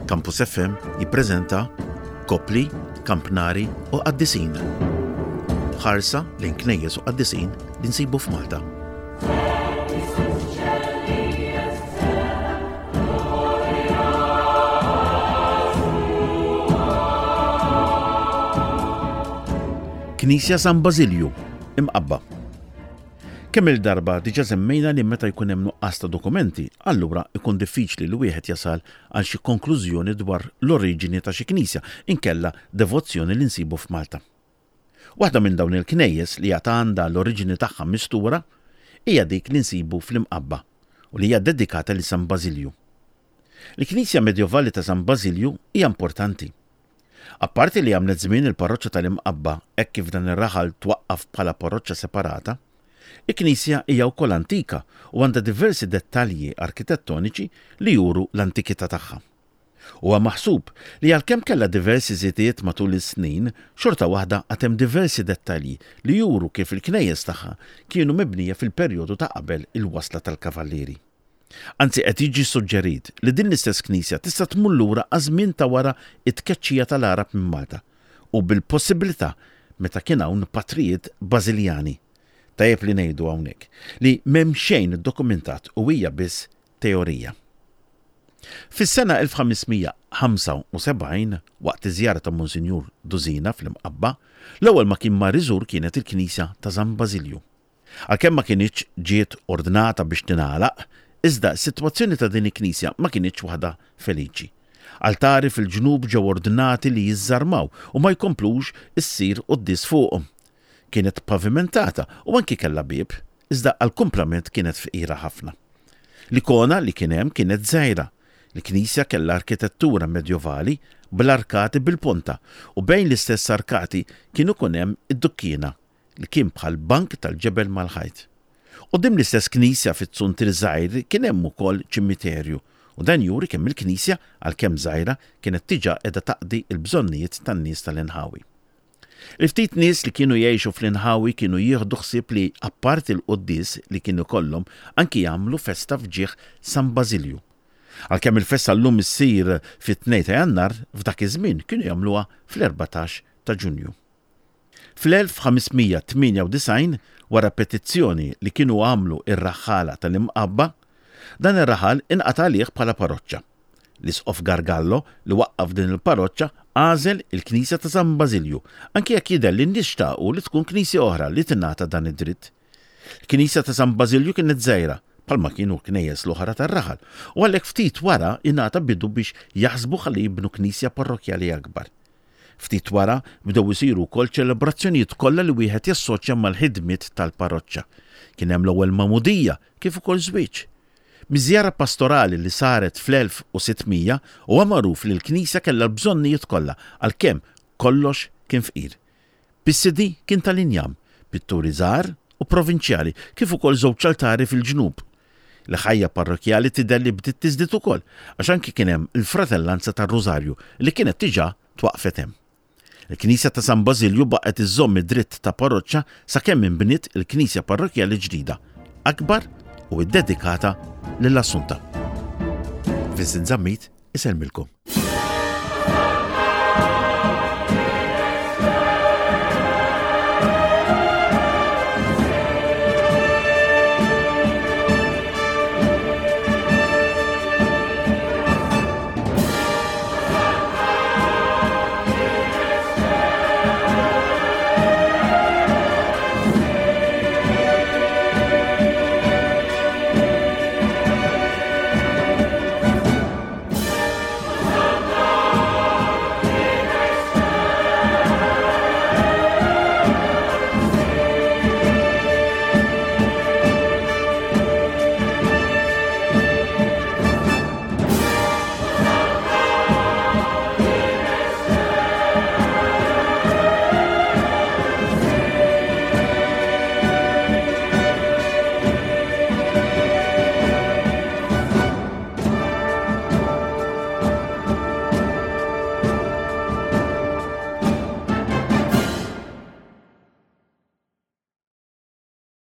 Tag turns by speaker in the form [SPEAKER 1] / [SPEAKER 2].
[SPEAKER 1] Campus FM jippreżenta Kopli, Kampnari u Qaddisin. Ħarsa lejn knejjes u qaddisin li nsibu f'Malta. Knisja San Bażilju, Imqabba. Kemm-il darba diġà semmejna li meta jkun hemm nuqqas ta' dokumenti, allura jkun diffiċli li wieħed jasal għal xi konklużjoni dwar l-oriġini ta' xi knisja inkella devozzjoni li nsibu f'Malta. Waħda minn dawn il-knejjes li għad għandha l-oriġini tagħha mistura hija dik li nsibu fl-Imqabba u li hija ddedikata lil San Bażilju. Il-knisja medjovali ta' San Bażilju hija importanti. Apparti li għamlet żmien il-parroċċa tal-Imqabba hekk kif dan ir-raħal twaqqaf bħala parroċċa separata, il-knisja hija wkoll antika u għandha diversi dettalji arkitettoniċi li juru l-antikità tagħha. Huwa maħsub li għalkemm kellha diversi żidiet matul is-snin, xorta waħda għad hemm diversi dettalji li juru kif il-knejjes tagħha kienu mibnija fil-perjodu ta' qabel il-wasla tal-Kavallieri. Anzi qed jiġi suġġerit li din l-istess knisja tista' tmur lura għaż-żmien ta' wara t-tkeċċija tal-Għarab minn Malta u bil-possibilità meta kien hawn patrijiet Bażiljani. Tajjeb li ngħidu hawnhekk li m'hemm xejn iddokumentat u hija biss teorija. Fis-sena 1575, waqt iż-żjara ta' Monsinjur Dusina fl-Imqabba, l-ewwel ma kien mar iżur kienet il-knisja ta' San Bażilju. Għalkemm ma kinitx ġiet ordnata biex tingħalaq, iżda s-sitwazzjoni ta' din il-knisja ma kinitx waħda feliċi. Altari fil-ġnub ġew ordnati li jiżżarmaw u ma jkomplux issir quddies fuqhom. Kienet pavimentata u anki kellha bieb, iżda għall-kumplament kienet fqira ħafna. L-ikona li kien hemm kienet żgħira. Il-knisja kellha arkitettura medjovali bl-arkati bil-ponta u bejn l-istess arkati kien ikun hemm id-dukkiena li kien bħal bank tal-ġebel mal-ħajt. Quddiem l-istess knisja fiz-zuntier żgħir kien hemm ukoll ċimiterju u dan juri kemm il-knisja, għalkemm żgħira, kienet diġà qiegħda taqdi l-bżonnijiet tan-nies tal-inħawi. Il-ftit nies li kienu jgħixu fl-inħawi kienu jieħdu ħsieb li apparti l-quddies li kien ikollhom anki jagħmlu festa f'ġieħ San Bażilju. Għalkemm il-festa llum issir fit-tnejn ta' Jannar, f'dak iż-żmien kienu jagħmluha fl-erbatax ta' Ġunju. Fl-1598, wara petizzjoni li kienu għamlu r-raħħala tal-Imqabba, dan ir-raħal inqata' għalih bħala paroċċa. L-Isqof Gargallo, li waqqaf din il-paroċċa, għażel il-knisja ta' San Bażilju, anki jekk jidher li n-nies xtaqu li tkun knisja oħra li tingħata dan id-dritt. Il-knisja ta' San Bażilju kienet żgħira, bħalma kienu l-knejjes l-oħra tar-raħal, u għalhekk ftit wara ingħata bidu biex jaħsbu ħalli jibnu knisja parrokkjali akbar. Ftit wara bdew isiru wkoll ċelebrazzjonijiet kollha li wieħed jassoċja mal-ħidmiet tal-parroċċa. Kien hemm l-ewwel magħmudija kif ukoll żwieġ. Miż-żjara pastorali li saret fl-1600 huwa magħruf li l-knisja kellha l-bżonnijiet kollha għalkemm kollox kien fqir. Pissidi kien tal-injam, pitturi żgħar u provinċjali kif ukoll żewġ altari fil-ġnub. Il-ħajja parrokkjali tidher li bdiet tiżdied ukoll għax anki kien hemm il-Fratellanza tar-Rużarju li kienet diġà twaqqfet hemm. Il-knisja ta' San Bażilju baqgħet iżżomm id-dritt ta' parroċċa sakemm inbniet il-knisja parrokkjali ġdida, akbar u ddedikata lill-Assunta. Vincent Zammit isellmilkom.